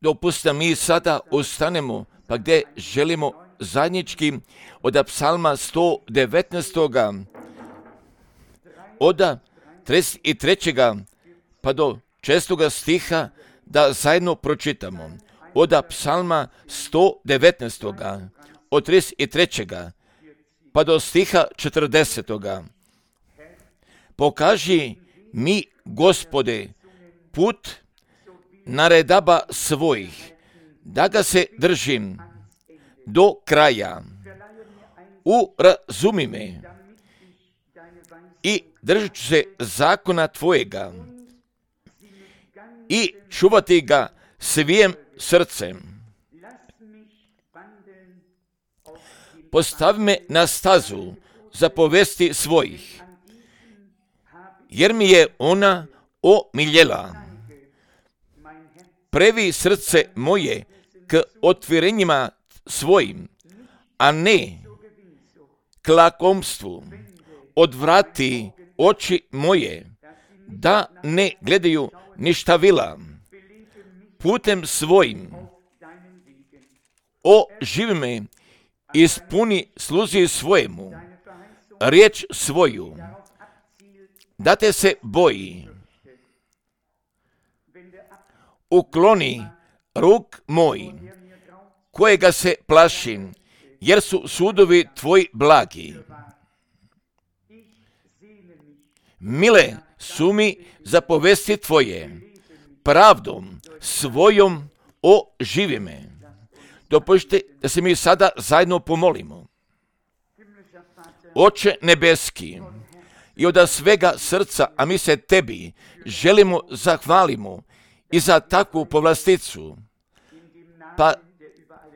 Dopustite mi sada ustanemo, pa gdje želimo zajednički od psalma 119. od 33. pa do 6. stiha da zajedno pročitamo. Od psalma 119. od 33. pa do stiha 40. Pokaži mi, Gospode, put naredaba svojih, da ga se držim do kraja. Urazumi me i držat ću se zakona tvojega i čuvati ga svijim srcem. Postavi me na stazu zapovesti svojih, jer mi je ona omiljela. Previ srce moje k otvorenjima svojim, a ne k lakomstvu. Odvrati oči moje, da ne gledaju ništavila. Putem svojim oživi me, ispuni sluzi svojemu riječ svoju, da te se boji. Ukloni ruk moj, kojega se plašim, jer su sudovi tvoji blagi. Mile su mi zapovesti tvoje, pravdom svojom oživi me. Dopustite da se mi sada zajedno pomolimo. Oče nebeski, i od svega srca, a mi se tebi želimo zahvalimo i za takvu povlasticu, pa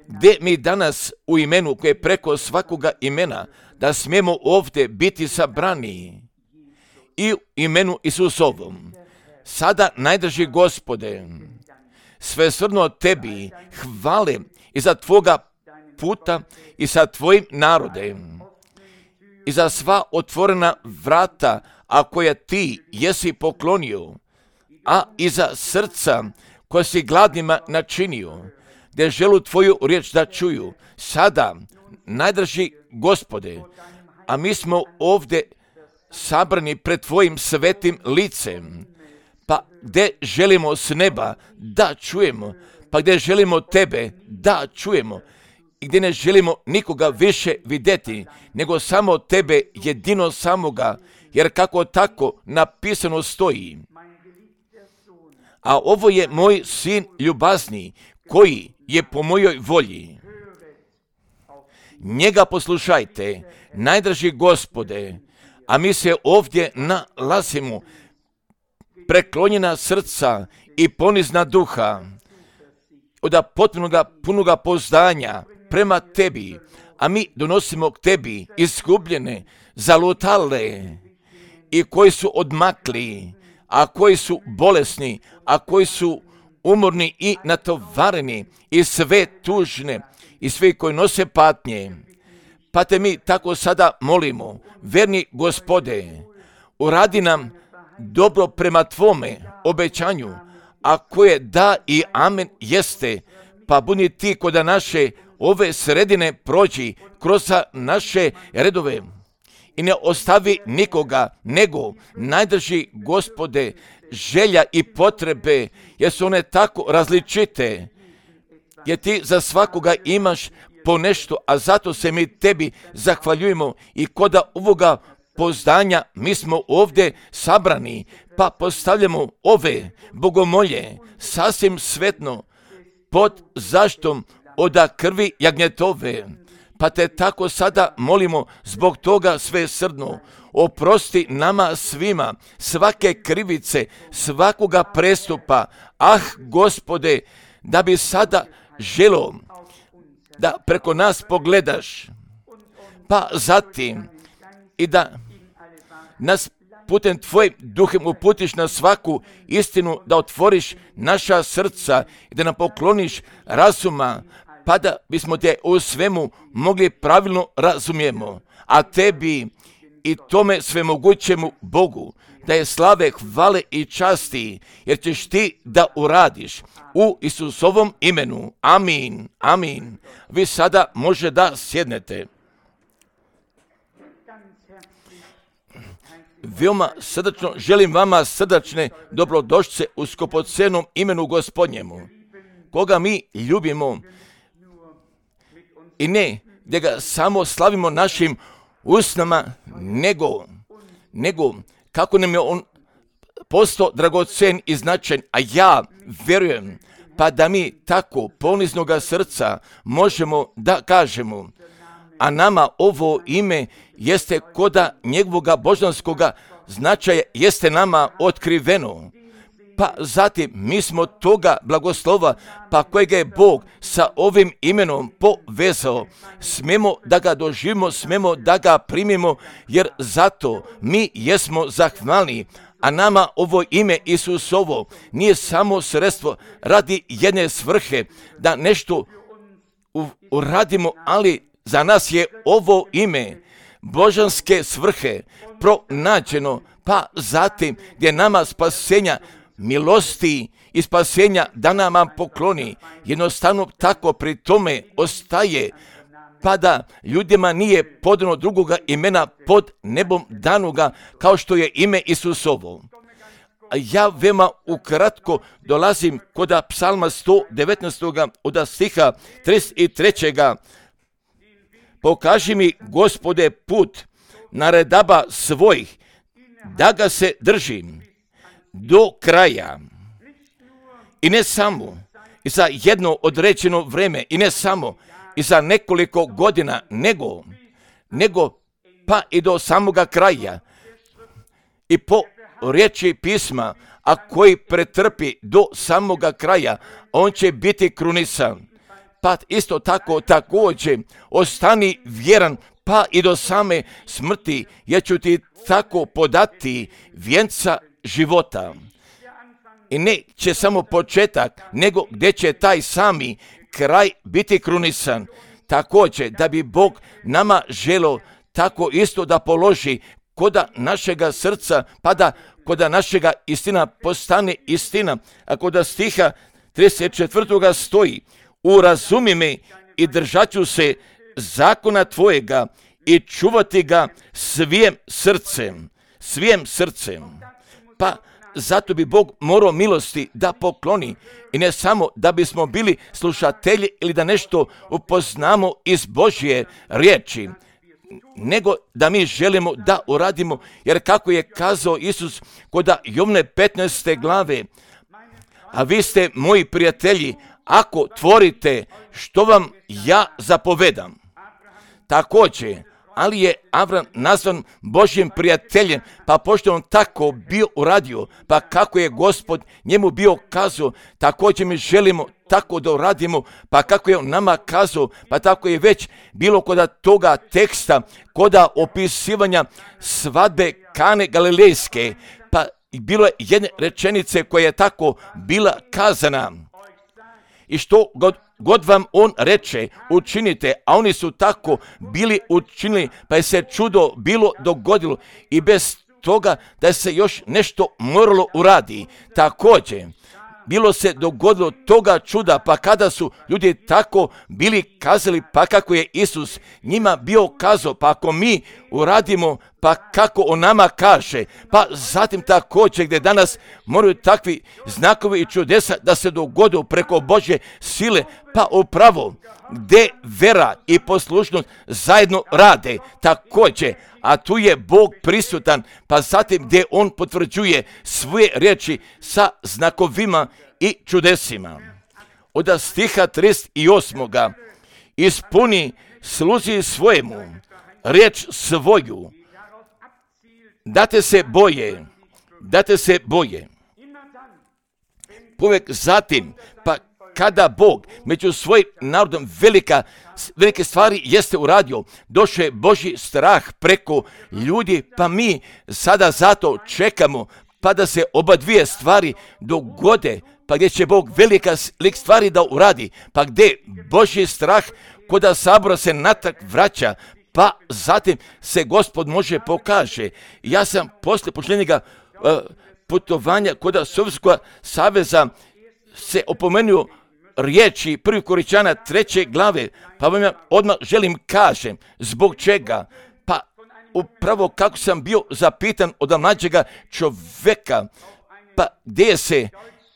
gdje mi danas u imenu koje je preko svakoga imena, da smijemo ovdje biti sabrani i u imenu Isusovom. Sada, najdraži Gospode, svesrdno tebi hvale i za tvoga puta i sa tvojim narodem i za sva otvorena vrata, a koja ti jesi poklonio, a i za srca koja si gladnima načinio, gdje želu tvoju riječ da čuju. Sada, najdraži Gospode, a mi smo ovdje sabrani pred tvojim svetim licem, pa gdje želimo s neba da čujemo, pa gdje želimo tebe da čujemo, i gdje ne želimo nikoga više vidjeti, nego samo tebe, jedino samoga, jer kako tako napisano stoji. A ovo je moj sin ljubazni, koji je po mojoj volji. Njega poslušajte, najdraži Gospode, a mi se ovdje nalazimo preklonjena srca i ponizna duha, od potpunoga punoga poznanja prema tebi, a mi donosimo k tebi izgubljene, zalutale i koji su odmakli, a koji su bolesni, a koji su umorni i natovareni i sve tužne i svi koji nose patnje. Pa te mi tako sada molimo, verni Gospode, uradi nam dobro prema tvome obećanju, a koje da i amen jeste, pa budi ti kod naše ove sredine prođi kroz naše redove i ne ostavi nikoga, nego najdrži Gospode želja i potrebe, jer su one tako različite, jer ti za svakoga imaš po nešto, a zato se mi tebi zahvaljujemo i kod ovoga poznanja mi smo ovdje sabrani, pa postavljamo ove bogomolje sasvim svetno pod zaštom od krvi jagnjetove, pa te tako sada molimo zbog toga svesrdno. Oprosti nama svima svake krivice, svakoga prestupa. Gospode, da bi sada želo da preko nas pogledaš, pa zatim i da nas putem tvojim duhem uputiš na svaku istinu, da otvoriš naša srca i da nam pokloniš razuma, pa da bismo te u svemu mogli pravilno razumijemo, a tebi i tome svemogućemu Bogu, da je slave, hvale i časti, jer ćeš ti da uradiš u Isusovom imenu. Amin, amin. Vi sada može da sjednete. Veoma srdačno želim vama srdačne dobrodošlice u skupocenom imenu Gospodnjemu, koga mi ljubimo i ne da ga samo slavimo našim usnama, nego kako nam je on postao dragocen i značajan, a ja vjerujem pa da mi tako poniznoga srca možemo da kažemo, a nama ovo ime jeste koda njegovoga božanskoga značaja jeste nama otkriveno. Pa zatim mi smo toga blagoslova, pa kojega je Bog sa ovim imenom povezao, smemo da ga doživimo, smemo da ga primimo, jer zato mi jesmo zahvalni. A nama ovo ime Isusovo nije samo sredstvo radi jedne svrhe, da nešto uradimo, ali za nas je ovo ime božanske svrhe pronađeno, pa zatim gdje nama spasenja, milosti i spasenja da nama pokloni, jednostavno tako pri tome ostaje, pa da ljudima nije podano drugoga imena pod nebom danoga kao što je ime Isusovo. Ja veoma ukratko dolazim kod psalma 119. od stiha 33. Pokaži mi, Gospode, put naredaba svojih, da ga se držim do kraja. I ne samo i za jedno određeno vreme, i ne samo i za nekoliko godina, nego pa i do samoga kraja. I po riječi pisma, a koji pretrpi do samoga kraja, on će biti krunisan. Pa isto tako također ostani vjeran pa i do same smrti, jer ću ti tako podati vjenca života. I neće samo početak, nego gdje će taj sami kraj biti krunisan. Također da bi Bog nama želio tako isto da položi koda našega srca, pa da koda našega istina postane istina. A koda stiha 34. stoji: urazumi me i držat ću se zakona tvojega i čuvati ga svim srcem. Pa zato bi Bog morao milosti da pokloni, i ne samo da bismo bili slušatelji ili da nešto upoznamo iz Božje riječi, nego da mi želimo da uradimo, jer kako je kazao Isus kod Jovne 15. glave, a vi ste moji prijatelji ako tvorite što vam ja zapovedam. Također, ali je Avram nazvan Božjim prijateljem, pa pošto on tako bio uradio, pa kako je Gospod njemu bio kazao, također mi želimo tako da uradimo, pa kako je on nama kazao, pa tako je već bilo kod toga teksta, kod opisivanja svadbe Kane Galilejske, pa bilo je jedne rečenice koja je tako bila kazana. I što god vam on reče, učinite, a oni su tako bili učinili, pa je se čudo bilo dogodilo i bez toga da se još nešto moralo uradi. Također, bilo se dogodilo toga čuda, pa kada su ljudi tako bili kazali, pa kako je Isus njima bio kazao, pa ako mi uradimo, pa kako on nama kaže, pa zatim također gdje danas moraju takvi znakovi i čudesa da se dogode preko Božje sile, pa upravo gdje vera i poslušnost zajedno rade također, a tu je Bog prisutan, pa zatim gdje on potvrđuje svoje riječi sa znakovima i čudesima. Od stiha 38. ispuni sluzi svojemu riječ svoju, da te se boje. Povijek zatim, pa kada Bog među svojim narodom velike stvari jeste uradio, došao je Božji strah preko ljudi, pa mi sada zato čekamo pa da se oba dvije stvari dogode, pa gdje će Bog velika stvari da uradi, pa gdje Božji strah koda sabora se natrag vraća, pa zatim se Gospod može pokaže. Ja sam poslije pošljenjega putovanja kod Sovjetskog saveza se opomenuo riječi 1. Korinćana 3. glave, pa vam ja odmah želim kažem zbog čega. Pa upravo kako sam bio zapitan od mlađega čovjeka, pa gdje je se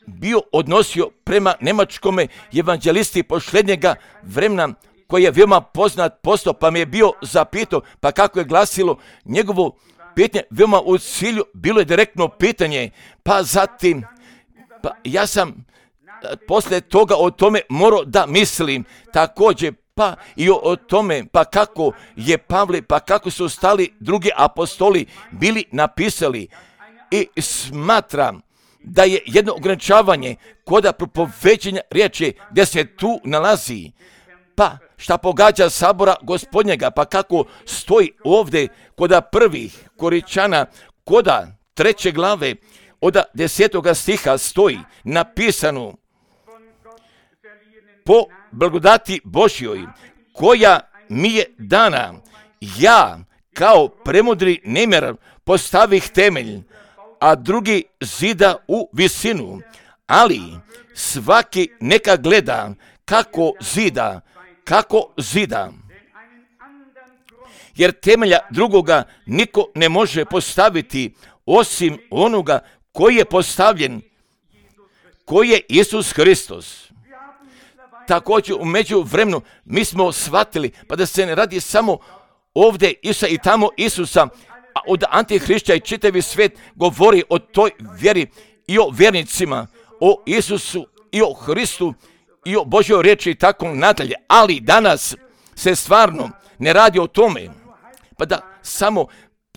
bio odnosio prema njemačkome evanđelisti posljednjega vremena, koji je veoma poznat postao, pa me je bio zapitao, pa kako je glasilo njegovo pitanje, veoma u cilju, bilo je direktno pitanje, pa zatim, pa ja sam poslije toga o tome morao da mislim također, pa i o tome, pa kako je Pavle, pa kako su ostali drugi apostoli bili napisali. I smatram da je jedno ograničavanje koda propoveđenja riječi gdje se tu nalazi, pa šta pogađa sabora Gospodnjega, pa kako stoji ovdje koda 1. Korinćana, koda 3. glave, od 10. stiha stoji napisano: po blagodati Božjoj koja mi je dana, ja kao premudri nemjer postavih temelj, a drugi zida u visinu, ali svaki neka gleda kako zida. Jer temelja drugoga niko ne može postaviti osim onoga koji je postavljen, koji je Isus Hristos. Također u međuvremenu mi smo shvatili, pa da se ne radi samo ovdje Isusa i tamo Isusa, a od antihrišća i čitavi svijet govori o toj vjeri i o vjernicima, o Isusu i o Hristu i o Božjoj riječi i tako nadalje. Ali danas se stvarno ne radi o tome, pa da samo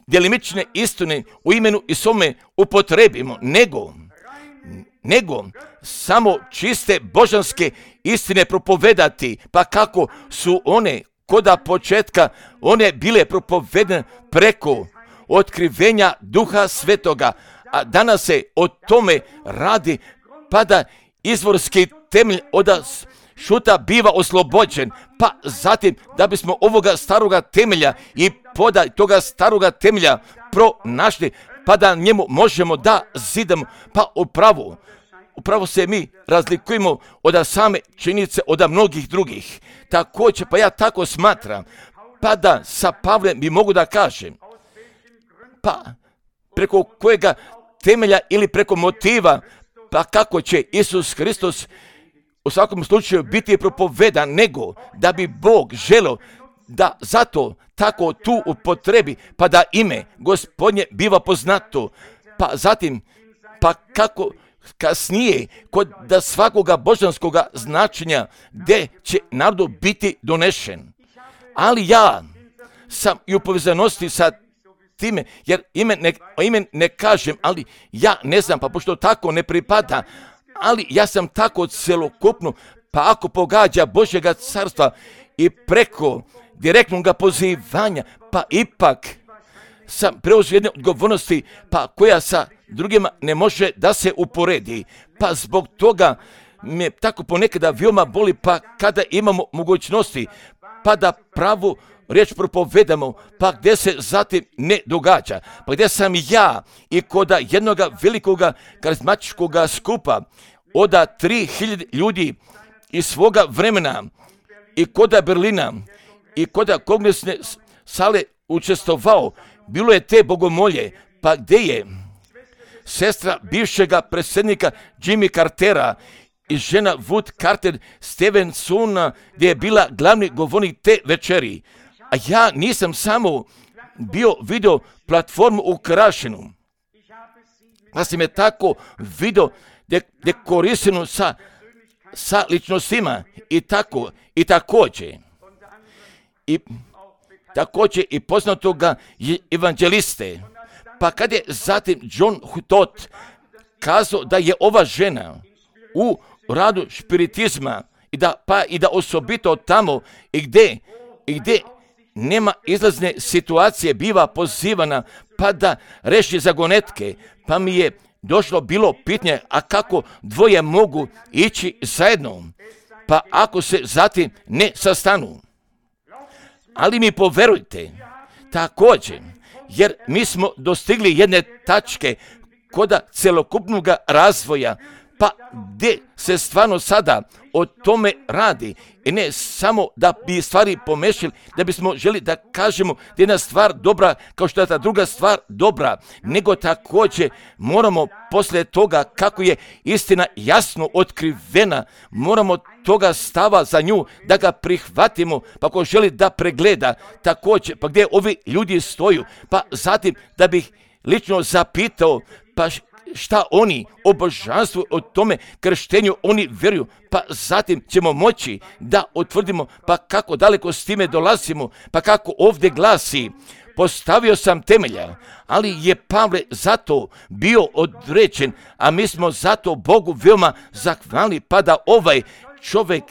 djelimične istine u imenu i svome upotrebimo, nego samo čiste božanske istine propovedati, pa kako su one koda početka, one bile propovedene preko otkrivenja Duha Svetoga, a danas se o tome radi, pa da izvorski temelj od šuta biva oslobođen, pa zatim da bismo ovoga staroga temelja i poda toga staroga temelja pronašli, pa da njemu možemo da zidamo, pa upravo se mi razlikujemo od same činjenice od mnogih drugih. Također, pa ja tako smatram, pa da sa Pavlem bi mogu da kažem, pa preko kojega temelja ili preko motiva, pa kako će Isus Hristos u svakom slučaju biti propovedan, nego da bi Bog želeo da zato tako tu upotrebi, pa da ime Gospodnje biva poznato, pa zatim, pa kako kasnije kod da svakoga božanskoga značenja gdje će narodu biti donešen. Ali ja sam i u povezanosti sa time, jer ime ne kažem, ali ja ne znam, pa pošto tako ne pripada, ali ja sam tako celokupno, pa ako pogađa Božjega carstva i preko direktnog pozivanja, pa ipak sam preuzeo jedne odgovornosti, pa koja sa drugima ne može da se uporedi. Pa zbog toga me tako ponekada veoma boli, pa kada imamo mogućnosti, pa da pravu riječ propovedamo, pa gdje se zatim ne događa, pa gdje sam ja i koda jednoga velikoga karizmatičkoga skupa od 3000 ljudi iz svoga vremena i koda Berlina i koda kongresne sale učestvovao, bilo je te bogomolje, pa gdje je sestra bivšega predsjednika Jimmy Cartera i žena Wood Carter Stevensona, gdje je bila glavni govornik te večeri. A ja nisam samo vidio platformu ukrašenu, pa sam je tako vidio dekorisanu sa ličnostima i također i poznatoga evanđeliste. Pa kad je zatim John Hutot kazao da je ova žena u radu spiritizma i da osobito tamo i gdje nema izlazne situacije biva pozivana pa da reši zagonetke, pa mi je došlo bilo pitanje, a kako dvoje mogu ići zajedno, pa ako se zatim ne sastanu. Ali mi poverujte, također, jer mi smo dostigli jedne tačke koda celokupnog razvoja, pa gdje se stvarno sada o tome radi. I ne samo da bi stvari pomešali, da bismo želi da kažemo da je jedna stvar dobra kao što je ta druga stvar dobra, nego također moramo poslije toga kako je istina jasno otkrivena, moramo toga stava za nju da ga prihvatimo, pa ako želi da pregleda također, pa gdje ovi ljudi stoju, pa zatim da bih lično zapitao, pa šta oni o božanstvu, o tome krštenju oni vjeruju, pa zatim ćemo moći da utvrdimo pa kako daleko s time dolazimo, pa kako ovdje glasi, postavio sam temelja, ali je Pavle zato bio određen, a mi smo zato Bogu veoma zahvalni, pa da ovaj čovjek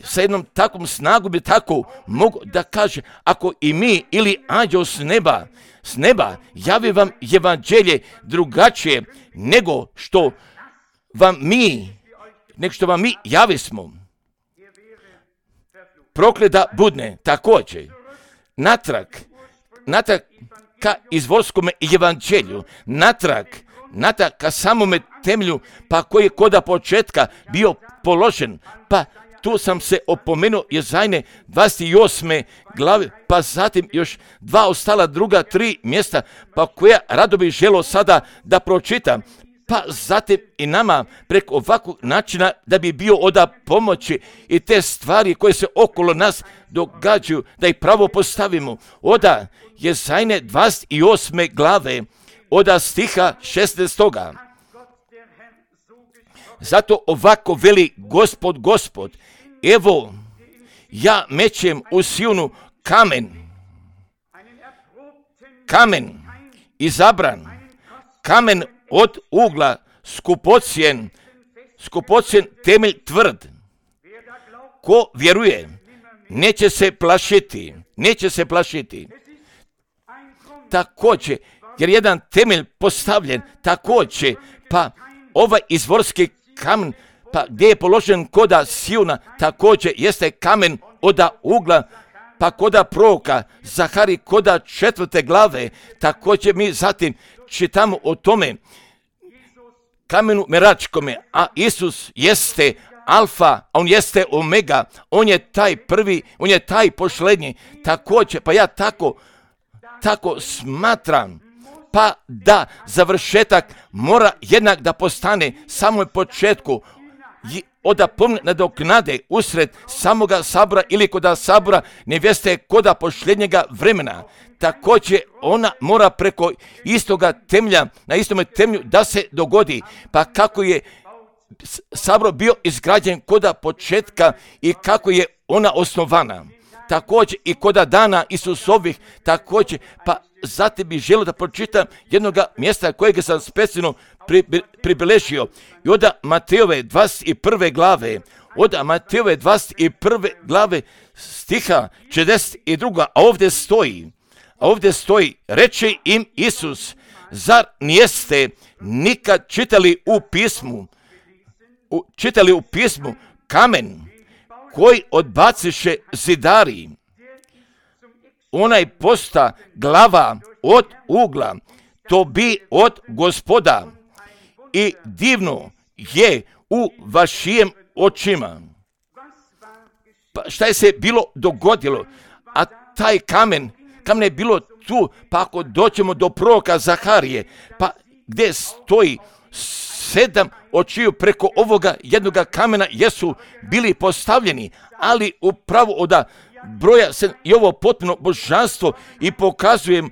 sa jednom takvom snagom bi tako mogu da kaže, ako i mi ili anđeo s neba javi vam evanđelje drugačije nego što vam mi javismo, prokleda budne također natrag ka izvorskome evanđelju, natrag ka samome temelju, pa koji je koda početka bio položen, pa tu sam se opomenuo Jezajne 28. glave, pa zatim još dva ostala druga 3 mjesta, pa koja rado bih želio sada da pročitam, pa zatim i nama preko ovakvog načina da bi bio od pomoći i te stvari koje se okolo nas događaju, da ih pravo postavimo. Oda Jezajne 28. glave, oda stiha 16. Zato ovako veli Gospod, evo, ja mećem u Sionu kamen izabran, kamen od ugla, skupocjen temelj tvrd. Ko vjeruje, neće se plašiti. Također, jer jedan temelj postavljen, također, pa ovaj izvorski kamen, pa gdje je položen koda Siona, također jeste kamen oda ugla, pa koda proroka Zahari koda 4. glave, također mi zatim čitamo o tome kamenu meračkome, a Isus jeste alfa, a on jeste omega, on je taj prvi, on je taj posljednji, također, pa ja tako smatram, pa da završetak mora jednak da postane samo početku oda pomne nadoknade usred samoga sabora ili koda sabora nevjeste koda posljednjega vremena. Također ona mora preko istoga temelja, na istome temelju da se dogodi, pa kako je sabor bio izgrađen koda početka i kako je ona osnovana. Također i koda dana Isusovih, također, pa zatim bih želio da pročitam jednoga mjesta kojeg sam specijalno pribilježio. I od Matejove 21. glave, stiha 42. A ovdje stoji, reče im Isus, zar nijeste nikad čitali u pismu kamen koji odbaciše zidari, onaj posta glava od ugla, to bi od Gospoda i divno je u vašim očima. Pa šta je se bilo dogodilo? A taj kamen je bilo tu, pa ako doćemo do proroka Zaharije, pa gdje stoji 7 očiju preko ovoga jednoga kamena jesu bili postavljeni, ali upravo od broja se i ovo potpuno božanstvo i pokazujem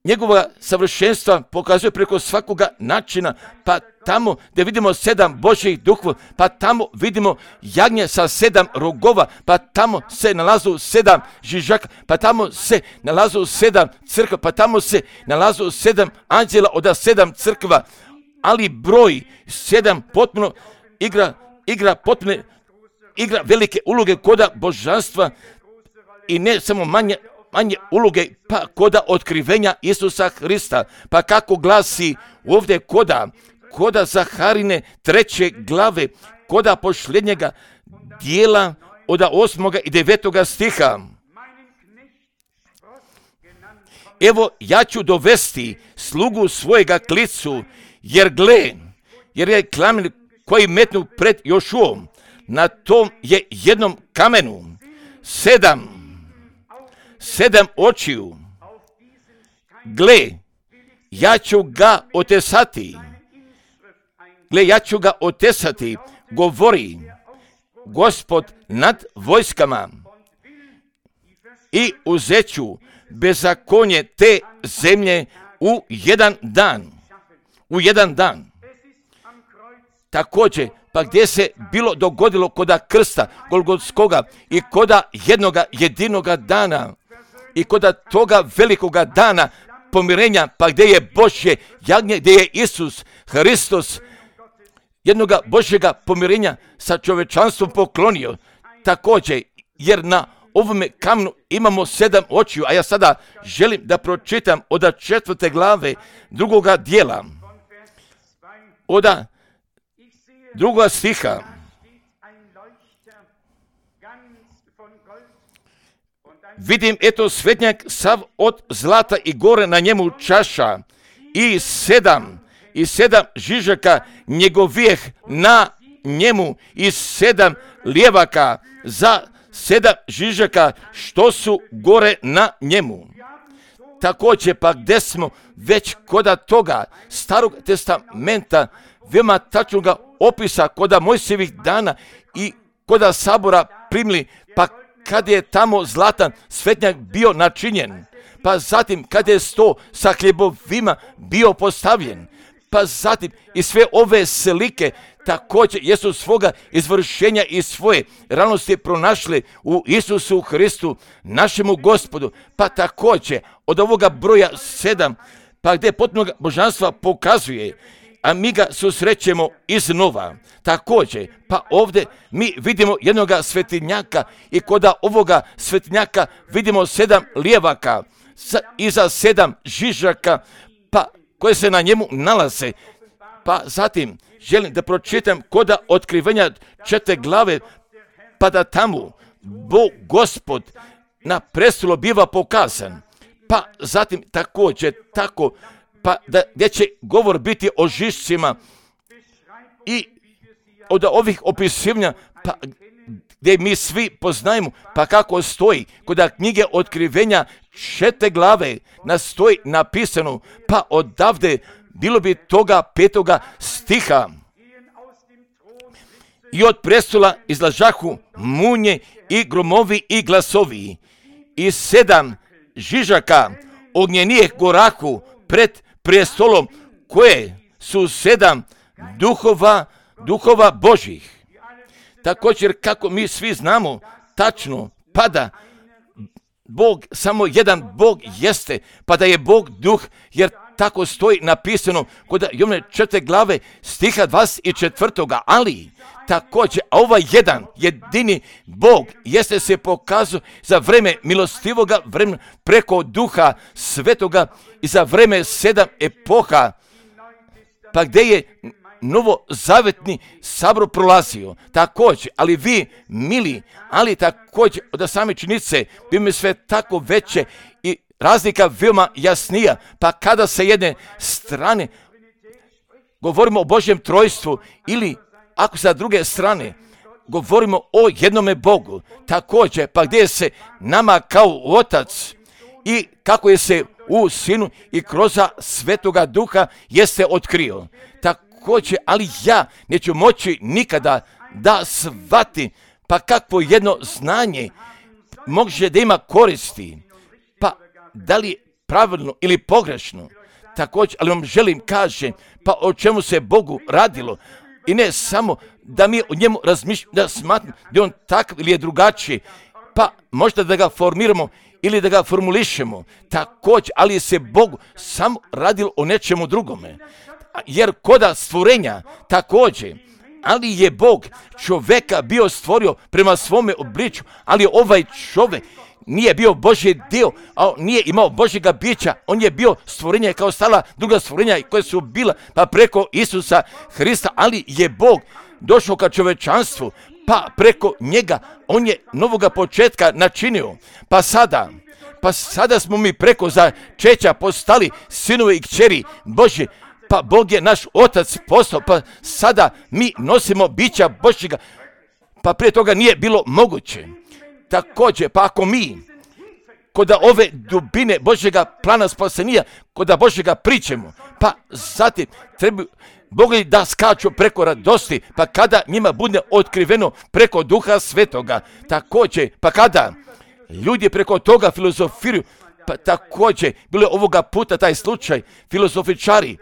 njegova savršenstva pokazuje preko svakoga načina, pa tamo gdje vidimo 7 Božjih duhova, pa tamo vidimo jagnje sa 7 rogova, pa tamo se nalazu 7 žižaka, pa tamo se nalazu 7 crkva, pa tamo se nalazu 7 anđela od 7 crkva, ali broj 7 potpuno igra velike uloge koda božanstva i ne samo manje uloge, pa koda otkrivenja Isusa Hrista. Pa kako glasi ovdje koda Zaharine 3. glave, koda posljednjega dijela od 8. i 9. stiha. Evo, ja ću dovesti slugu svojega klicu, jer je kamen koji metnu pred Jošuom, na tom je jednom kamenu 7 očiju. Gle, ja ću ga otesati, govori Gospod nad vojskama, i uzeću bezakonje te zemlje u jedan dan. Također, pa gdje se bilo dogodilo koda krsta Golgotskoga i koda jednoga jedinoga dana i koda toga velikoga dana pomirenja, pa gdje je Božje jagnje, gdje je Isus Hristos jednoga Božjega pomirenja sa čovječanstvom poklonio. Također, jer na ovome kamenu imamo 7 očiju, a ja sada želim da pročitam od 4. glave 2. dijela, od 2. stiha. Vidim, eto, svetnjak sav od zlata i gore na njemu čaša i 7 žižaka njegovijeh na njemu i 7 lijevaka za 7 žižaka što su gore na njemu. Također, pa gdje smo već koda toga Starog testamenta, veoma tačnoga opisa koda Mojsijevih dana i koda sabora primili, pa kad je tamo zlatan svetnjak bio načinjen, pa zatim kad je sto sa hljebovima bio postavljen, pa zatim i sve ove slike također jesu svoga izvršenja i svoje realnosti pronašli u Isusu Hristu, našemu Gospodu. Pa također od ovoga broja 7, pa gdje potpunog božanstva pokazuje, a mi ga susrećemo iznova. Također, pa ovdje mi vidimo jednoga svetinjaka i koda ovoga svetinjaka vidimo 7 lijevaka i za 7 žižaka, pa koje se na njemu nalaze. Pa zatim želim da pročitam koda otkrivenja 4. glave, pa da tamo Bog Gospod na prestolu biva pokazan. Pa zatim također tako, pa da gdje će govor biti o žišcima i od ovih opisivanja, pa gdje mi svi poznajemo, pa kako stoji kod knjige otkrivenja 4. glave stoji napisano, pa odavde bilo bi toga 5. stiha. I od prestola izlažahu munje i gromovi i glasovi i 7 žižaka ognjenijeh gorahu pred prestolom, koje su 7 duhova Božih. Također, kako mi svi znamo tačno, pa da Bog, samo jedan Bog jeste, pa da je Bog duh, jer tako stoji napisano kod Jovne 4. glave stiha 24. Ali također, a ovaj jedan jedini Bog jeste se pokazao za vreme milostivoga vremena preko Duha Svetoga i za vreme 7 epoha, pa gdje je novozavetni sabor prolazio. Također, ali vi, mili, ali također od same činjenice bi mi sve tako veće i razlika veoma jasnija, pa kada sa jedne strane govorimo o Božjem trojstvu ili ako sa druge strane govorimo o jednome Bogu, također, pa gdje se nama kao Otac i kako je se u Sinu i kroz Svetoga Duha jeste otkrio. Također, ali ja neću moći nikada da shvatim, pa kakvo jedno znanje može da ima koristi, pa da li pravilno ili pogrešno. Također, ali vam želim kažem, pa o čemu se Bogu radilo, i ne samo da mi o njemu razmišljamo, da smatram da je on takav ili je drugačiji, pa možda da ga formiramo ili da ga formulišemo. Također, ali se Bogu samo radilo o nečemu drugome. Jer koda stvorenja također, ali je Bog čovjeka bio stvorio prema svome obličju, ali ovaj čovjek nije bio Božji dio, a nije imao Božjega bića, on je bio stvorenje kao stala druga stvorenja koje su bila pa preko Isusa Hrista, ali je Bog došao ka čovečanstvu, pa preko njega on je novoga početka načinio. Pa sada smo mi preko začeća postali sinovi i kćeri Božji. Pa Bog je naš otac postao, pa sada mi nosimo bića Božjega. Pa prije toga nije bilo moguće. Također, pa ako mi kod ove dubine Božjega plana spasenja, kod Božjega pričamo, pa zatim treba Bog da skaču preko radosti, pa kada njima bude otkriveno preko Duha Svetoga, također, pa kada ljudi preko toga filozofiraju, pa također, bilo je ovoga puta taj slučaj, filozofičari,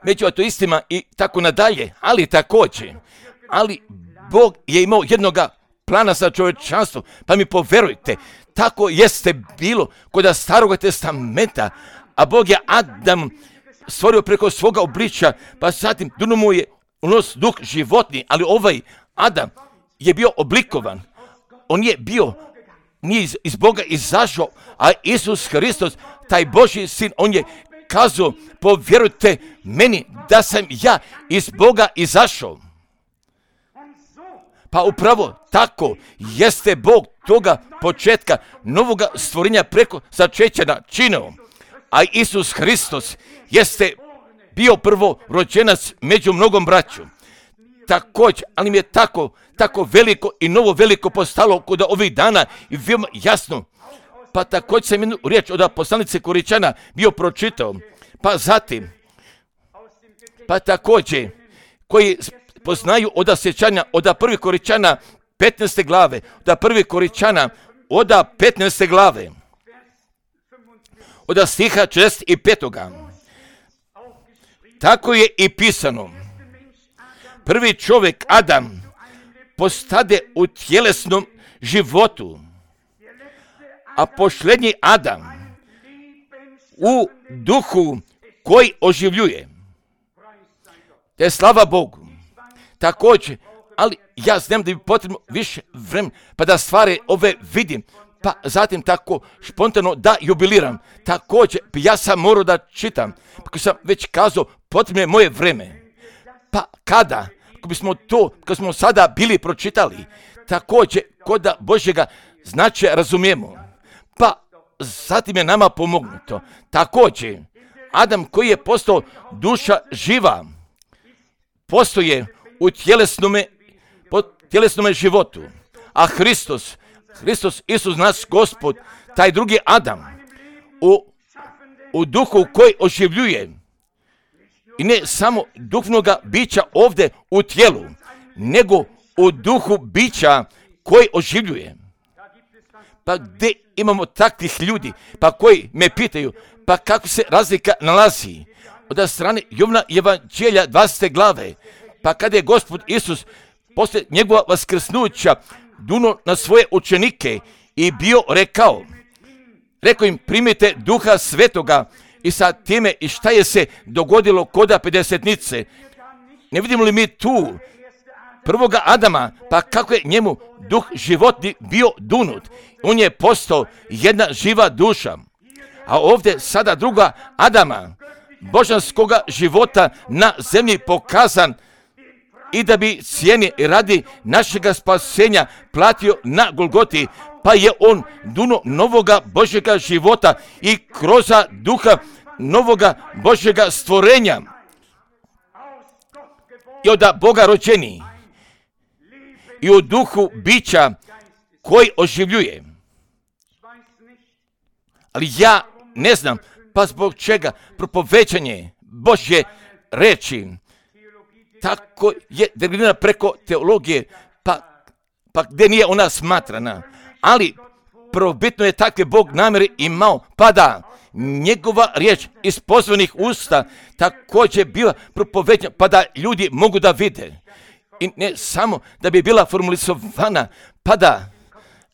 među ateistima i tako nadalje, ali Bog je imao jednoga plana za čovječanstvo, pa mi poverujte, tako jeste bilo kod Starog testamenta, a Bog je Adam stvorio preko svoga obličja, pa zatim duno mu je unos duh životni, ali ovaj Adam je bio oblikovan, on je bio, nije iz Boga izašao, a Isus Hristos, taj Božji sin, on je kazao, povjerujte meni da sam ja iz Boga izašao. Pa upravo tako jeste Bog toga početka novoga stvorenja preko začeća načinio. A Isus Hristos jeste bio prvo rođenac među mnogom braću. Također, ali mi je tako veliko i novo veliko postalo kod ovih dana i veoma jasno. Pa također sam jednu riječ od poslanice Koričana bio pročitao. Pa zatim, pa također, koji poznaju od sjećanja od prvi Koričana 15. glave, od prvi Koričana od 15. glave, od stiha 45. Tako je i pisano. Prvi čovjek Adam postade u tjelesnom životu, a posljednji Adam u duhu koji oživljuje. Te slava Bogu. Također, ali ja znam da bi potrebno više vremena pa da stvari ove vidim, pa zatim tako spontano da jubiliram. Također, ja sam morao da čitam, kako sam već kazao, potrebno je moje vreme. Pa kada? Ako bismo to, kako smo sada bili pročitali, također, kod Božjega značaja razumijemo. Pa zatim je nama pomognuto. Također, Adam koji je postao duša živa, postoje u tjelesnome životu. A Hristos, Isus naš Gospod, taj drugi Adam, u duhu koji oživljuje. I ne samo duhovnoga bića ovdje u tijelu, nego u duhu bića koji oživljuje. Pa gdje imamo takvih ljudi, pa koji me pitaju, pa kako se razlika nalazi? Od strane Jovana Evanđelja 20. glave, pa kada je Gospod Isus poslije njegova vaskrsnuća duno na svoje učenike i bio rekao im primite Duha Svetoga i sa time i šta je se dogodilo koda pedesetnice. Ne vidimo li mi tu prvoga Adama, pa kako je njemu duh životni bio dunut. On je postao jedna živa duša. A ovdje sada druga Adama, božanskoga života na zemlji pokazan i da bi cijeni radi našega spasenja platio na Golgoti, pa je on duno novoga Božjega života i kroz duha novoga Božjega stvorenja i od Boga rođeni i u duhu bića koji oživljuje. Ali ja ne znam, pa zbog čega propovećanje Božje reči tako je definirana preko teologije, pa gdje nije ona smatrana. Ali prvobitno je takve Bog namjere imao, pa da njegova riječ iz pozvanih usta također bila propovećena, pa da ljudi mogu da vide. I ne samo da bi bila formalizovana, pa da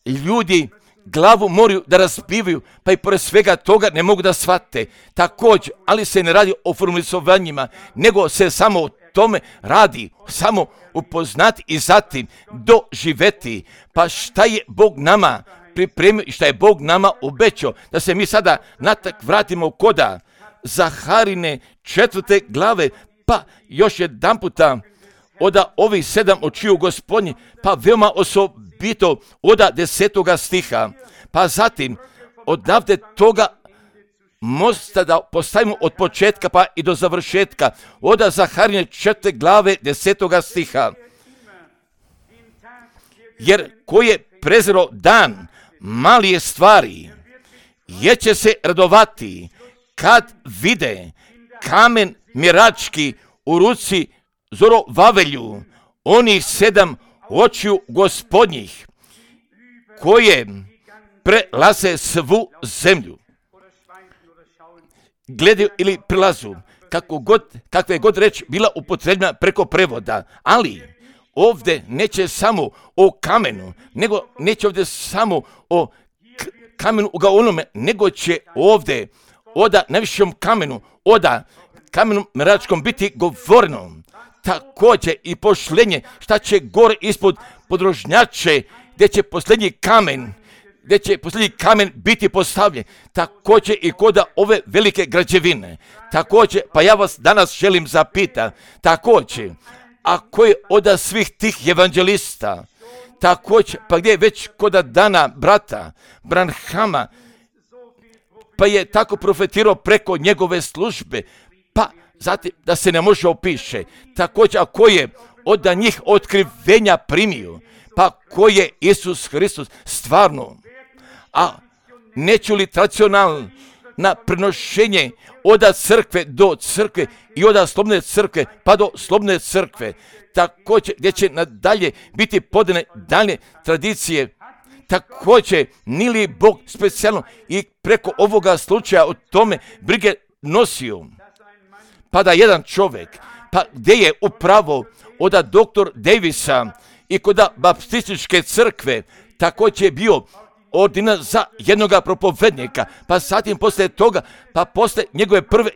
ljudi glavu moraju da razbivaju, pa i pored svega toga ne mogu da shvate. Također, ali se ne radi o formalizovanjima, nego se samo o tome radi, samo upoznati i zatim doživeti. Pa šta je Bog nama pripremio i šta je Bog nama obećao, da se mi sada natak vratimo koda Zaharine 4. glave, pa još jedan puta oda ovih 7 očiju Gospodnji, pa veoma osobito oda 10. stiha. Pa zatim, odavde toga mosta da postavimo od početka pa i do završetka. Oda Zaharije 4. glave 10. stiha. Jer ko je prezirao dan malije stvari, je će se radovati kad vide kamen mirački u ruci Zorovavelju, onih 7 očiju Gospodnjih, koje prelaze svu zemlju. Gledaju ili prilazu, kakva je god reč bila upotrebljena preko prevoda, ali ovdje neće samo o kamenu, nego neće ovdje samo o kamenu u onome, nego će ovdje oda najvišem kamenu, oda kamenu meračkom biti govoreno. Također i pošlenje, šta će gore ispod podrožnjače, gdje će posljednji kamen biti postavljen. Također i koda ove velike građevine. Također, pa ja vas danas želim zapitati, također, ako je od svih tih evanđelista, također, pa gdje je već koda dana brata Branhama, pa je tako profetirao preko njegove službe, pa zatim da se ne može opiše. Također, ako je od njih otkrivenja primio, pa ko je Isus Hristos stvarno, a neću li tradicionalno na prenošenje od crkve do crkve i od slobodne crkve pa do slobodne crkve, također gdje će nadalje biti podane dalje tradicije. Također, nije li Bog specijalno i preko ovoga slučaja o tome brige nosio? Pa da jedan čovjek, pa gdje je upravo od doktor Davisa i kod baptističke crkve, također je bio ordina za jednoga propovednika, pa zatim poslije toga, pa poslije njegove prve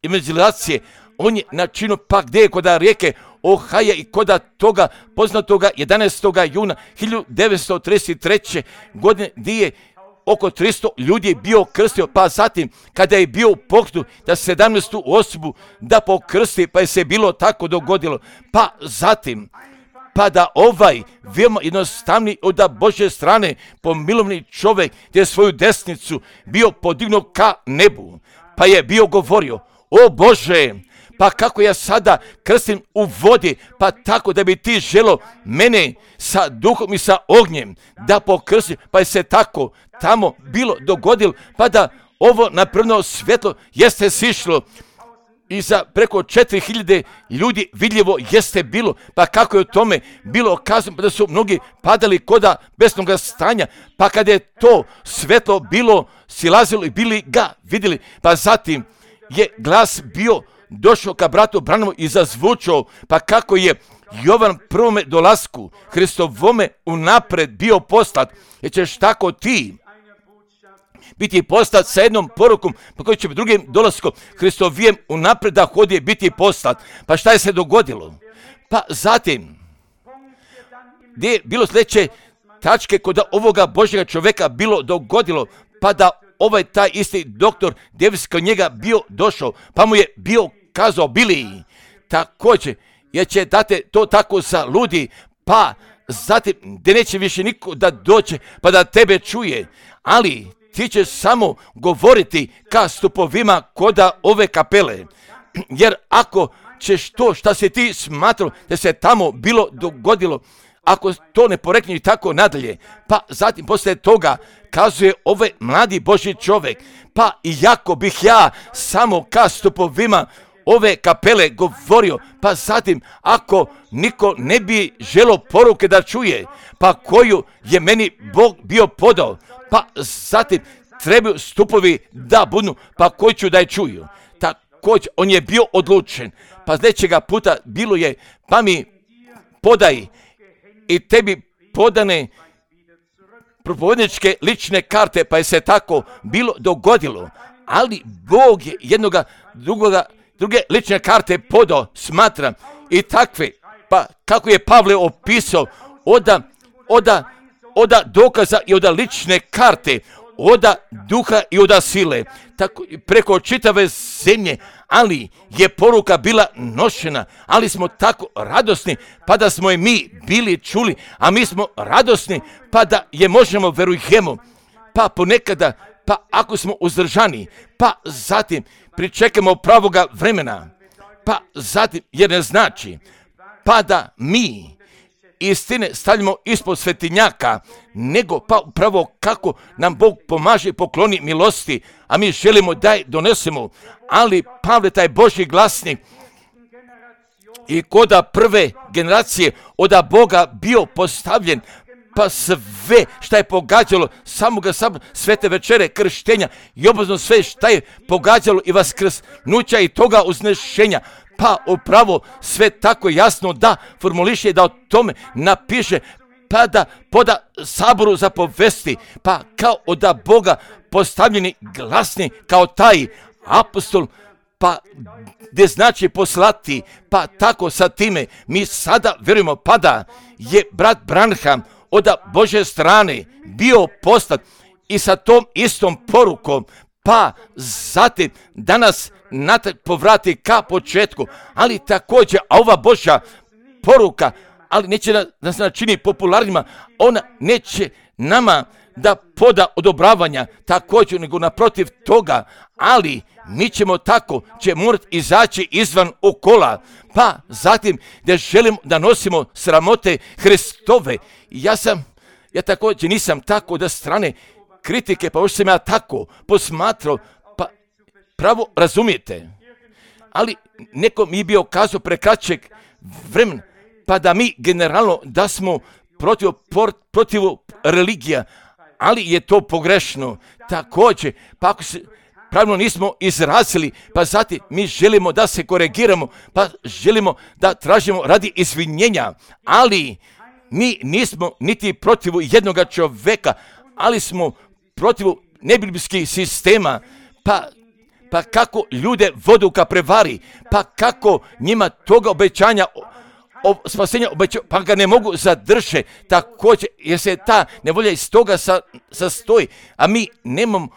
evangelizacije, on je načinio pa gdje je kod rijeke Ohaja i kod toga poznatoga 11. juna 1933. godine gdje je oko 300 ljudi bio krstio, pa zatim kada je bio u pokretu da 17. osobu da pokrsti, pa je se bilo tako dogodilo, pa zatim pa da ovaj veoma jednostavni od Božje strane pomilovni čovjek gdje je svoju desnicu bio podignuo ka nebu, pa je bio govorio, o Bože, pa kako ja sada krstim u vodi, pa tako da bi ti želo mene sa duhom i sa ognjem da pokrstim, pa je se tako tamo bilo dogodilo, pa da ovo napravno svjetlo jeste sišlo i za preko 4000 ljudi vidljivo jeste bilo, pa kako je u tome bilo kazano, pa da su mnogi padali koda besnoga stanja, pa kada je to svjetlo bilo silazilo i bili ga vidjeli, pa zatim je glas bio došao ka bratu Branhamu i zazvučao, pa kako je Jovan prvome dolasku Hristovome unapred bio poslat, jer ćeš tako ti biti poslat sa jednom porukom, pa koji će drugim dolaskom Hristovijem unapred da hodi biti poslat. Pa šta je se dogodilo? Pa zatim, gdje je bilo sljedeće tačke kod ovoga Božjega čovjeka bilo dogodilo, pa da ovaj taj isti doktor Davis kod njega bio došao, pa mu je bio kazao, Bili, također, jer će date to tako za ludi, pa zatim, gdje neće više niko da dođe, pa da tebe čuje, ali ti ćeš samo govoriti ka stupovima koda ove kapele, jer ako ćeš to šta se ti smatrao da se tamo bilo dogodilo, ako to ne porekne i tako nadalje, pa zatim poslije toga kazuje ovaj mladi Božji čovjek, pa iako bih ja samo ka stupovima ove kapele govorio, pa zatim ako niko ne bi želo poruke da čuje, pa koju je meni Bog bio podao, pa zatim trebaju stupovi da budu, pa koji ću da je čuju. Također, on je bio odlučen, pa sljedećega puta bilo je, pa mi podaj i tebi podane propovedničke lične karte, pa je se tako bilo dogodilo, ali Bog je druge lične karte podao, smatram, i takve, pa kako je Pavle opisao, oda dokaza i oda lične karte, oda duha i oda sile. tako preko čitave zemlje, ali je poruka bila nošena, ali smo tako radosni, pa da smo je mi bili čuli, a mi smo radosni, pa da je možemo, verujemo, pa ponekada, pa ako smo uzdržani, pa zatim pričekamo pravoga vremena, pa zatim, jer ne znači, pa da mi istine stavljamo ispod svetinjaka, nego pa upravo kako nam Bog pomaže i pokloni milosti, a mi želimo da je donesemo. Ali Pavle, taj Božji glasnik, i koda prve generacije od Boga bio postavljen, pa sve šta je pogađalo samoga svete večere krštenja i obvezno sve šta je pogađalo i vaskrsnuća i toga uznešenja, pa upravo sve tako jasno da formuliše, da o tome napiše, pa da poda saboru za povesti, pa kao od Boga postavljeni glasni kao taj apostol, pa gdje znači poslati, pa tako sa time mi sada vjerujemo, pa da je brat Branham od Božje strane bio poslat i sa tom istom porukom, pa zatim danas natrag povrati ka početku, ali također, a ova Božja poruka, ali neće nas načini popularnima, ona neće nama da poda odobravanja također, nego naprotiv toga, ali mi ćemo tako, će morati izaći izvan okola, pa zatim da želimo da nosimo sramote Hristove. Ja također nisam tako da strane kritike, pa još sam ja tako posmatrao, pa pravo razumijete. Ali neko mi je bio kazao prekraćeg vremena, pa da mi generalno da smo protiv religija, ali je to pogrešno. Također, pa ako se pravilno nismo izrazili, pa zatim mi želimo da se korigiramo, pa želimo da tražimo radi izvinjenja, ali mi nismo niti protiv jednog čovjeka, ali smo protiv nebiblijskih sistema, pa kako ljude vodu ka prevari, pa kako njima toga obećanja spasenja obećaju, pa ga ne mogu zadržati također, jer se ta nevolja iz toga sastoji, a mi nemamo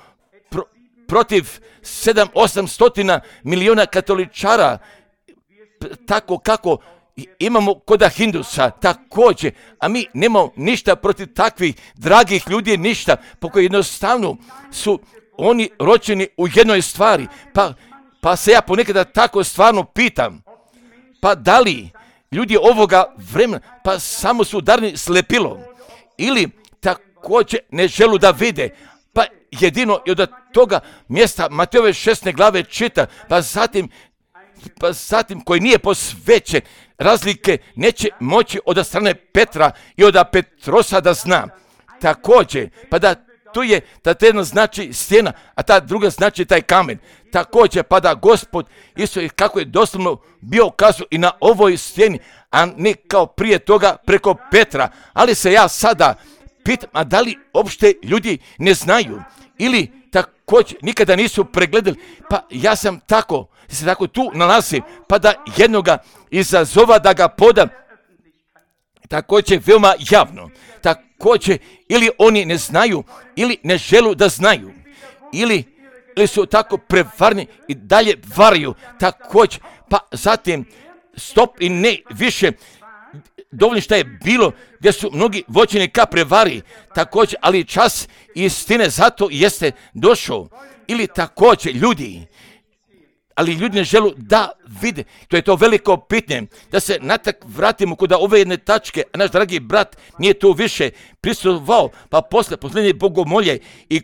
protiv 700-800 miliona katoličara, tako kako imamo koda Hindusa također, a mi nemamo ništa protiv takvih dragih ljudi, ništa, po koji jednostavno su oni rođeni u jednoj stvari, pa se ja ponekada tako stvarno pitam, pa da li ljudi ovoga vremena, pa samo su udarni slepilo, ili također ne želu da vide, pa jedino i od toga mjesta Matejove 16. glave čita, pa zatim koji nije posvećen, razlike neće moći od strane Petra i od Petrosa da zna. Također, pa da tu je, da jedna znači stjena, a ta druga znači taj kamen. Također, pa da Gospod isto kako je doslovno bio kazao i na ovoj stjeni, a ne kao prije toga preko Petra. Ali se ja sada pitam, a da li uopšte ljudi ne znaju ili također nikada nisu pregledali, pa ja sam tako, se tako tu nalazim, pa da jednoga izazova da ga podam, također veoma javno, također ili oni ne znaju, ili ne želu da znaju, ili su tako prevarni i dalje varaju, također, pa zatim stop i ne više, dovoljno šta je bilo, gdje su mnogi vođeni ka prevari, također, ali čas istine zato jeste došao, ili također ljudi, ali ljudi ne želu da vide. To je to veliko pitanje, da se natak vratimo kod ove jedne tačke, a naš dragi brat nije tu više prisustvovao, pa posle posljednje bogomolje i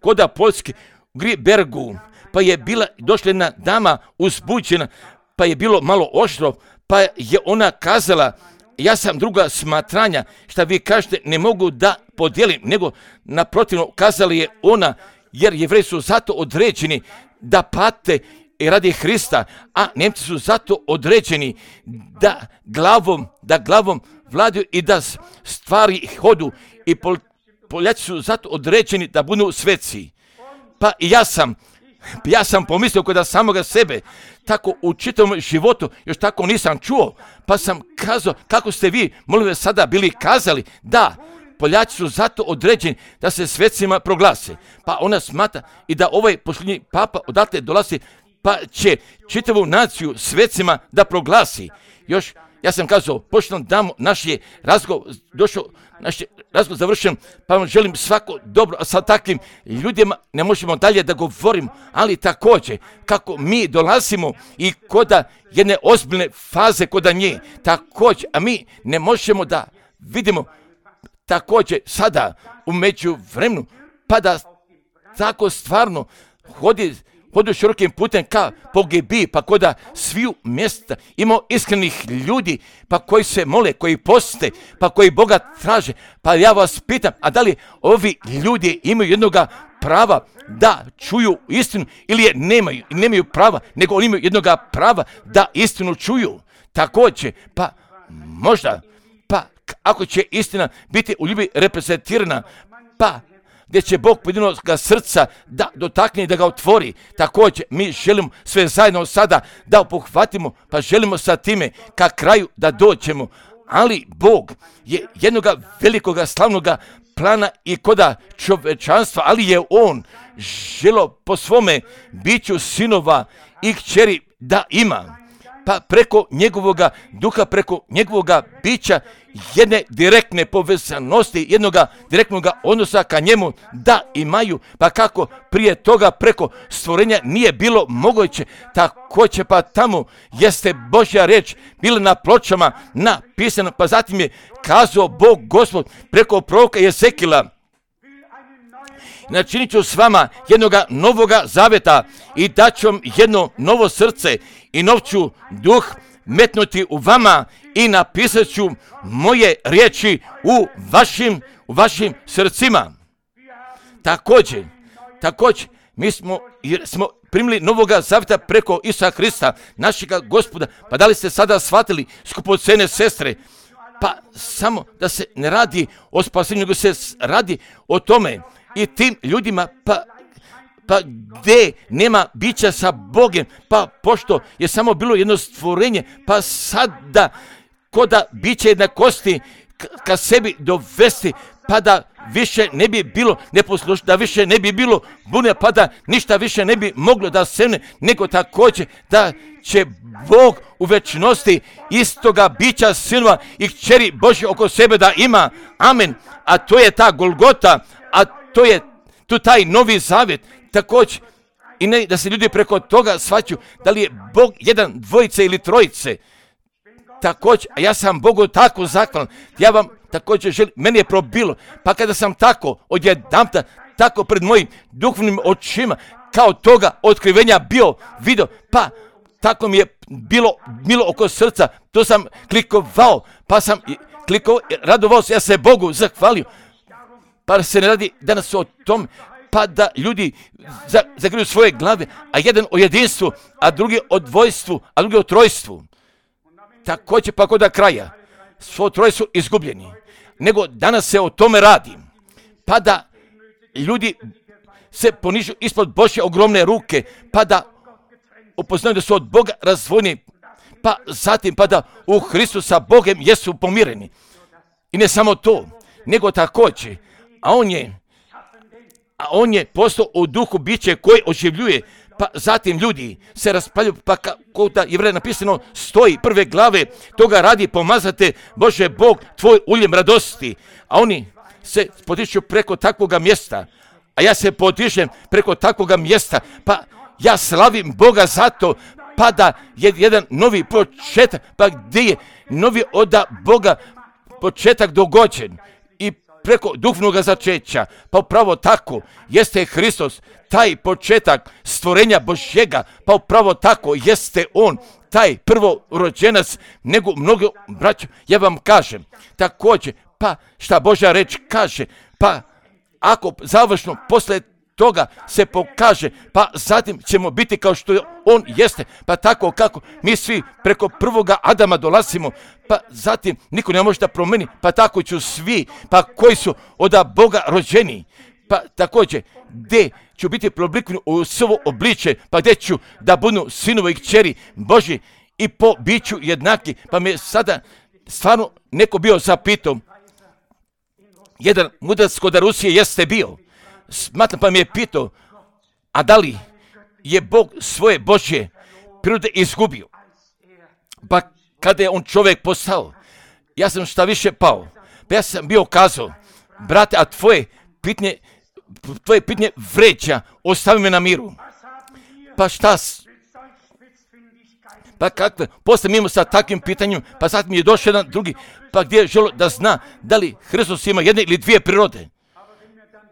koda Poljske u Gribergu, pa je došla jedna dama uzbuđena, pa je bilo malo oštro, pa je ona kazala, ja sam druga smatranja, šta vi kažete ne mogu da podijelim, nego naprotivno kazali je ona, jer Jevreji su zato određeni da pate i radi Hrista, a Nemci su zato određeni da glavom vladaju i da stvari hodu, i Poljaci su zato određeni da budu sveci. Pa i ja sam pomislio kod samoga sebe, tako u čitavom životu još tako nisam čuo, pa sam kazao, kako ste vi, molim vas, sada bili kazali, da, Poljaci su zato određeni da se svecima proglase. Pa ona smatra i da ovaj posljednji papa odatle dolazi, pa će čitavu naciju svecima da proglasi. Još, ja sam kazao, pošto nam damo naš je razgovor, završen, pa vam želim svako dobro, a sa takvim ljudima ne možemo dalje da govorimo, ali također, kako mi dolazimo i koda jedne ozbiljne faze koda nje, također, a mi ne možemo da vidimo također sada u međuvremenu, pa da tako stvarno hodi širokim putem ka pogibiji, pa koda sviju mjesta imamo iskrenih ljudi, pa koji se mole, koji poste, pa koji Boga traže. Pa ja vas pitam, a da li ovi ljudi imaju jednoga prava da čuju istinu ili je nemaju prava, nego oni imaju jednoga prava da istinu čuju. Također, pa možda, pa ako će istina biti u ljubi reprezentirana, pa gdje će Bog pojedinoga srca da dotakne i da ga otvori. Također, mi želimo sve zajedno sada da obuhvatimo, pa želimo sa time ka kraju da dođemo. Ali Bog je jednoga velikoga slavnoga plana i koda čovečanstva, ali je On želo po svome biću sinova i kćeri da ima. Pa preko njegovoga duha, preko njegovoga bića, jedne direktne povezanosti, jednoga direktnog odnosa ka njemu da imaju, pa kako prije toga preko stvorenja nije bilo moguće, tako će pa tamo jeste Božja riječ bila na pločama napisana, pa zatim je kazao Bog Gospod preko proroka Jezekila: načinit ću s vama jednoga novoga zaveta i daću vam jedno novo srce i nov ću duh metnuti u vama i napisat ću moje riječi u vašim srcima. Također, mi smo primili novoga zaveta preko Isusa Krista, našega Gospoda. Pa da li ste sada shvatili, skupocene sestre, pa samo da se ne radi o spasenju, nego se radi o tome i tim ljudima, pa gdje nema bića sa Bogom, pa pošto je samo bilo jedno stvorenje, pa sada koda biće jednakosti ka sebi dovesti, pa da više ne bi bilo neposlušno, da više ne bi bilo bune, pa da ništa više ne bi moglo da sevne, nego također da će Bog u večnosti istoga bića sinova i kćeri Božje oko sebe da ima. Amen. A to je ta Golgota, a to je tu taj novi zavjet. Također, i ne da se ljudi preko toga shvaćaju da li je Bog jedan, dvojice ili trojice. Također, a ja sam Bogu tako zahvalan, ja vam također želim, meni je probilo, pa kada sam tako odjedanputa, tako pred mojim duhovnim očima, kao toga otkrivenja bio video, pa tako mi je bilo milo oko srca, to sam klikovao, pa sam klikovao, radovao se, ja se Bogu zahvalio. Pa se ne radi danas o tom, pa da ljudi zagriju svoje glave, a jedan o jedinstvu, a drugi o dvojstvu, a drugi o trojstvu. Također pa kod kraja, svo troje su izgubljeni, nego danas se o tome radi, pa da ljudi se ponižu ispod Božje ogromne ruke, pa da upoznaju da su od Boga razdvojeni, pa zatim pa da u Hristu sa Bogom jesu pomireni. I ne samo to, nego također, a on je postao u duhu biće koji oživljuje, pa zatim ljudi se raspaljuju, pa kako da je napisano stoji prve glave, toga radi pomazate Bože Bog tvoj uljem radosti, a oni se podižu preko takvoga mjesta, a ja se podižem preko takvoga mjesta, pa ja slavim Boga zato, pa da je jedan novi početak, pa gdje je novi od Boga početak dogođen i preko duhovnog začeća, pa upravo tako jeste Hristos, taj početak stvorenja Božjega, pa upravo tako jeste On, taj prvorođenac, nego mnogo braćo, ja vam kažem, također, pa šta Božja reč kaže, pa ako završno posle toga se pokaže, pa zatim ćemo biti kao što on jeste, pa tako kako mi svi preko prvoga Adama dolazimo, pa zatim niko ne može da promeni, pa tako ću svi, pa koji su od Boga rođeni, pa također gdje ću biti preoblikven u svo obliče, pa gdje ću da budu sinovi i kćeri Božji i po biću jednaki, pa me sada stvarno neko bio zapitao, jedan mudrac kod Rusije jeste bio. Smatram, pa mi je pitao, a da li je Bog svoje Božje prirode izgubio? Pa kada je on čovjek postao, ja sam šta više pao. Pa ja sam bio kazao, brate, a tvoje pitanje vređa, ostavi me na miru. Pa šta? Pa kakve? Poslije mi imamo sa takvim pitanjem, pa sad mi je došao jedan drugi, pa gdje je želio da zna da li Hristos ima jedne ili dvije prirode.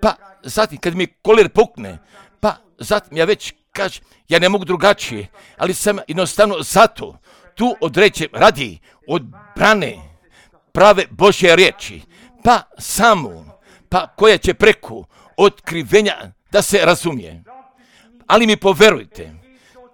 Pa zatim kad mi kolir pukne, pa zatim ja već kažem, ja ne mogu drugačije, ali sam jednostavno zato tu određen radi od brane prave Božje riječi, pa samo, pa koja će preko otkrivenja da se razumije. Ali mi poverujte,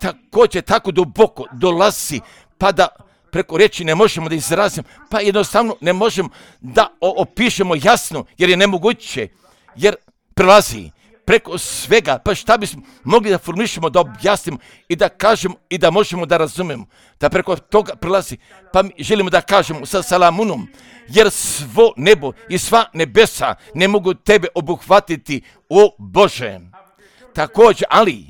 također tako duboko dolazi, pa da preko riječi ne možemo da izrazimo, pa jednostavno ne možemo da opišemo jasno, jer je nemoguće, jer prelazi preko svega, pa šta bismo mogli da formulišemo, da objasnimo i da kažemo i da možemo da razumemo, da preko toga prelazi, pa mi želimo da kažemo sa Salamunom, jer svo nebo i sva nebesa ne mogu tebe obuhvatiti, o Bože. Također, ali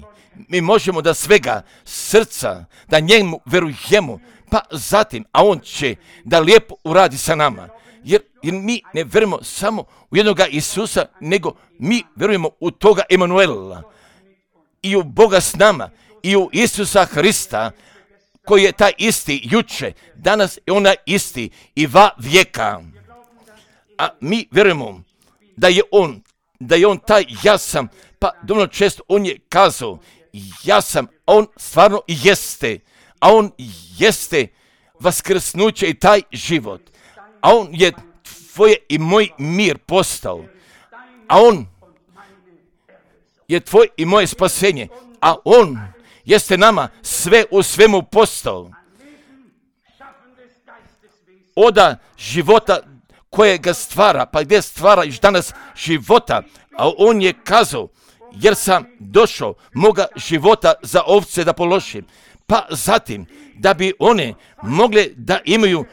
mi možemo da svega srca, da njemu verujemo, pa zatim, a on će da lijepo uradi sa nama. Jer mi ne verujemo samo u jednoga Isusa, nego mi verujemo u toga Emanuela i u Boga s nama i u Isusa Hrista, koji je taj isti juče, danas je onaj isti i va vijeka. A mi verujemo da je on taj ja sam, pa dovoljno često on je kazao ja sam, a on stvarno i jeste, a on jeste vaskrsnuće i taj život, a on je tvoje i moj mir postao, a on je tvoj i moje spasenje, a on jeste nama sve u svemu postao. Oda života koje ga stvara, pa gdje stvara još danas života, a on je kazao, jer sam došao moga života za ovce da položim, pa zatim da bi one mogle da imaju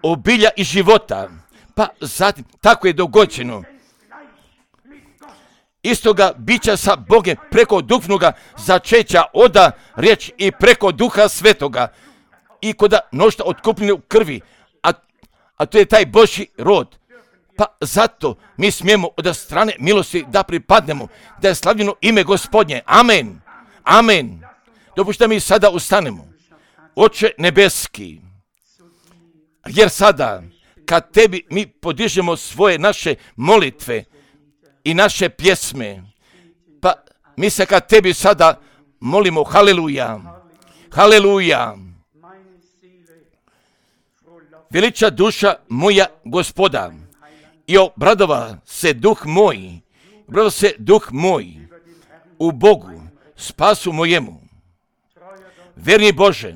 obilja i života, pa zatim tako je dogođeno. Istoga bića sa Bogem preko duhovnoga začeća oda riječ i preko Duha Svetoga i koda nošta otkupljene u krvi, a to je taj Božji rod. Pa zato mi smijemo od strane milosti da pripadnemo, da je slavljeno ime Gospodnje. Amen. Amen. Dopušta mi sada ustanemo. Oče nebeski, jer sada kad tebi mi podižemo svoje naše molitve i naše pjesme, pa mi se kad tebi sada molimo haleluja, haleluja. Veliča duša moja Gospoda i obradova se duh moj u Bogu, spasu mojemu. Verni Bože,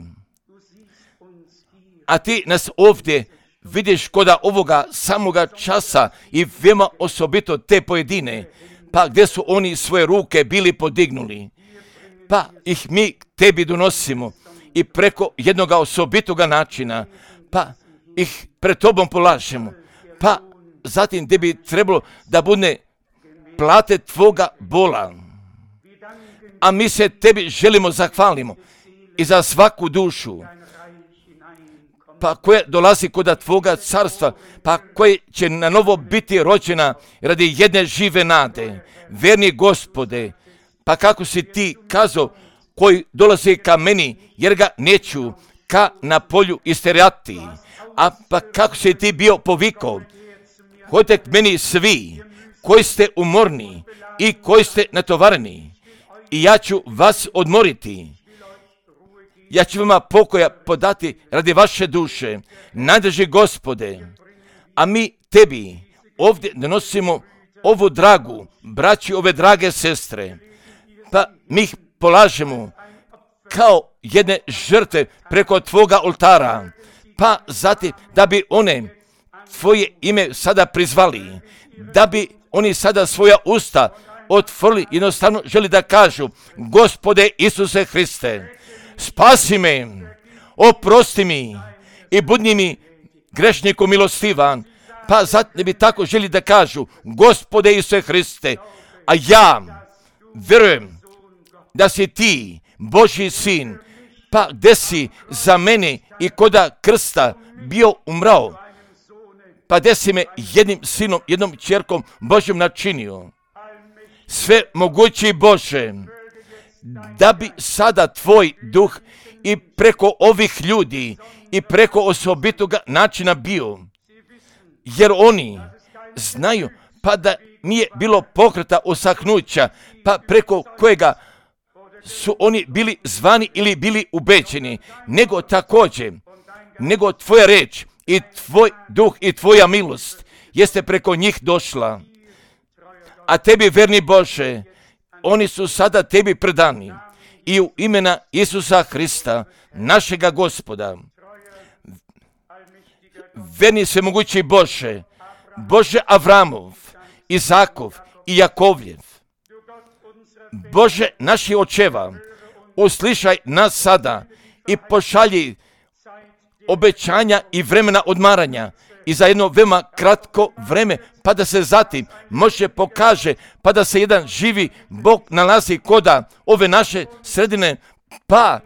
a ti nas ovdje vidiš koda ovoga samoga časa i veoma osobito te pojedine, pa gdje su oni svoje ruke bili podignuli, pa ih mi tebi donosimo i preko jednoga osobitoga načina, pa ih pred tobom polažemo, pa zatim gdje bi trebalo da bude plate tvoga bola. A mi se tebi želimo zahvalimo i za svaku dušu, pa koja dolazi kod tvoga carstva, pa koja će na novo biti rođena radi jedne žive nade. Verni Gospode, pa kako si ti kazao, koji dolazi ka meni, jer ga neću ka na polju isterati. A pa kako si ti bio povikao, hodite k meni svi koji ste umorni i koji ste natovareni, i ja ću vas odmoriti. Ja ću vama pokoja podati radi vaše duše, najdrži Gospode. A mi tebi ovdje donosimo ovu dragu, braći, ove drage sestre, pa mi ih polažemo kao jedne žrtve preko tvoga oltara, pa zatim da bi one tvoje ime sada prizvali, da bi oni sada svoja usta otvorili, jednostavno želi da kažu, Gospode Isuse Hriste, spasi me, oprosti mi i budi mi grešniku milostivan, pa zatim bi tako želi da kažu, Gospode Isuse Hriste, a ja vjerujem da si ti Božji sin, pa gdje si za mene i koda krsta bio umrao, pa gdje si me jednim sinom, jednom čerkom Božjom načinio. Sve mogući Bože, da bi sada tvoj duh i preko ovih ljudi i preko osobitoga načina bio, jer oni znaju pa da nije bilo pokreta osahnuća, pa preko kojega su oni bili zvani ili bili ubeđeni, nego također, nego tvoja reč i tvoj duh i tvoja milost jeste preko njih došla. A tebi, verni Bože, oni su sada tebi predani i u imena Isusa Hrista, našega Gospoda. Verni svemogući Bože, Bože Avramov, Izakov i Jakovljev, Bože naših očeva, uslišaj nas sada i pošalji obećanja i vremena odmaranja i za jedno veoma kratko vreme, pa da se zatim može pokaže, pa da se jedan živi Bog nalazi koda ove naše sredine, pa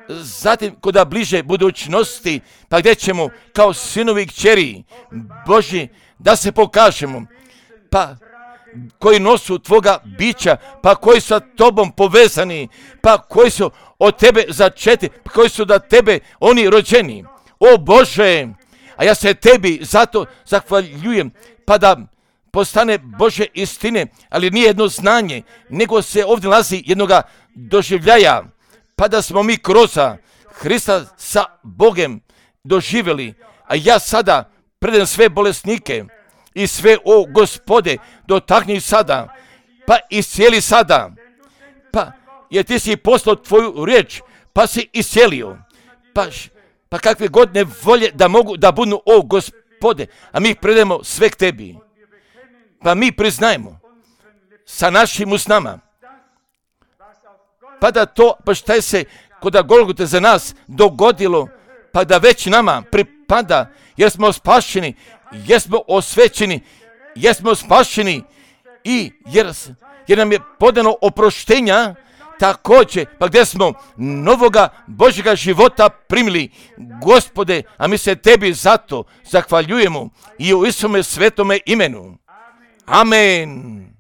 zatim koda bliže budućnosti, pa gdje ćemo kao sinovi i kćeri Božji da se pokažemo, pa koji nosu tvoga bića, pa koji su sa tobom povezani, pa koji su od tebe začeti, pa koji su da tebe oni rođeni. O Bože, a ja se tebi zato zahvaljujem, pa da postane Bože istine, ali nije jedno znanje, nego se ovdje nalazi jednoga doživljaja, pa da smo mi kroz Hrista sa Bogem doživjeli. A ja sada predam sve bolesnike i sve, o Gospode, dotakni sada, pa iscijeli sada, pa jer ti si poslao tvoju riječ, pa si iscijelio, pa kakve god nevolje da mogu da budu, o Gospode, a mi predajemo sve k tebi, pa mi priznajemo sa našim usnama, pa da to, pa šta je se kod Golgote za nas dogodilo, pa da već nama pripada, jer smo spašeni, jer smo osvećeni, jer smo spašeni i jer nam je podano oproštenja, također, pa gdje smo novoga Božjega života primili, Gospode, a mi se tebi zato zahvaljujemo i u Isome svetome imenu. Amen.